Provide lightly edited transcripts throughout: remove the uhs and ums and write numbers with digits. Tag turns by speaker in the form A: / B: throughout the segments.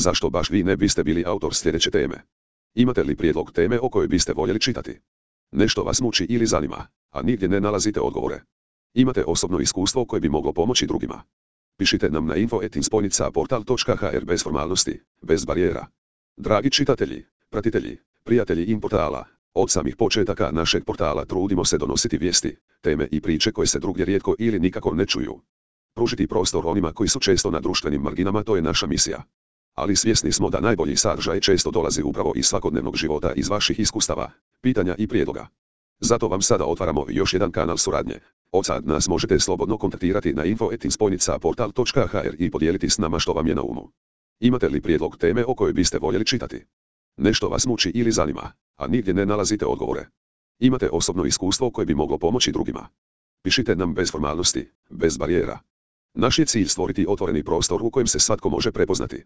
A: zašto baš vi ne biste bili autor sljedeće teme? Imate li prijedlog teme o kojoj biste voljeli čitati? Nešto vas muči ili zanima, a nigdje ne nalazite odgovore. Imate osobno iskustvo koje bi moglo pomoći drugima. Pišite nam na info@inspojnica-portal.hr bez formalnosti, bez barijera. Dragi čitatelji, pratitelji, prijatelji portala, od samih početaka našeg portala trudimo se donositi vijesti, teme i priče koje se drugdje rijetko ili nikako ne čuju. Pružiti prostor onima koji su često na društvenim marginama, to je naša misija. Ali svjesni smo da najbolji sadržaj često dolazi upravo iz svakodnevnog života, iz vaših iskustava, pitanja i prijedloga. Zato vam sada otvaramo još jedan kanal suradnje. Od sad nas možete slobodno kontaktirati na info@inspojnica-portal.hr i podijeliti s nama što vam je na umu. Imate li prijedlog teme o kojoj biste voljeli čitati? Nešto vas muči ili zanima, a nigdje ne nalazite odgovore. Imate osobno iskustvo koje bi moglo pomoći drugima. Pišite nam bez formalnosti, bez barijera. Naš je cilj stvoriti otvoreni prostor u kojem se svatko može prepoznati.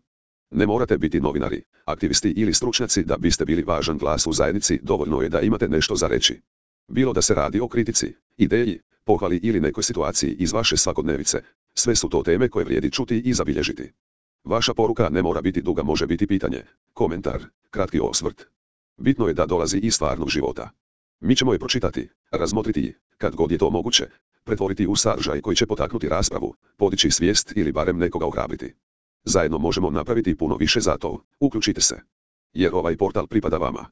A: Ne morate biti novinari, aktivisti ili stručnjaci da biste bili važan glas u zajednici, dovoljno je da imate nešto za reći. Bilo da se radi o kritici, ideji, pohvali ili nekoj situaciji iz vaše svakodnevice, sve su to teme koje vrijedi čuti i zabilježiti. Vaša poruka ne mora biti duga, može biti pitanje, komentar, kratki osvrt. Bitno je da dolazi iz stvarnog života. Mi ćemo je pročitati, razmotriti i, kad god je to moguće, pretvoriti u sadržaj koji će potaknuti raspravu, podići svijest ili barem nekoga ohrabriti. Zajedno možemo napraviti puno više za to, uključite se. Jer ovaj portal pripada vama.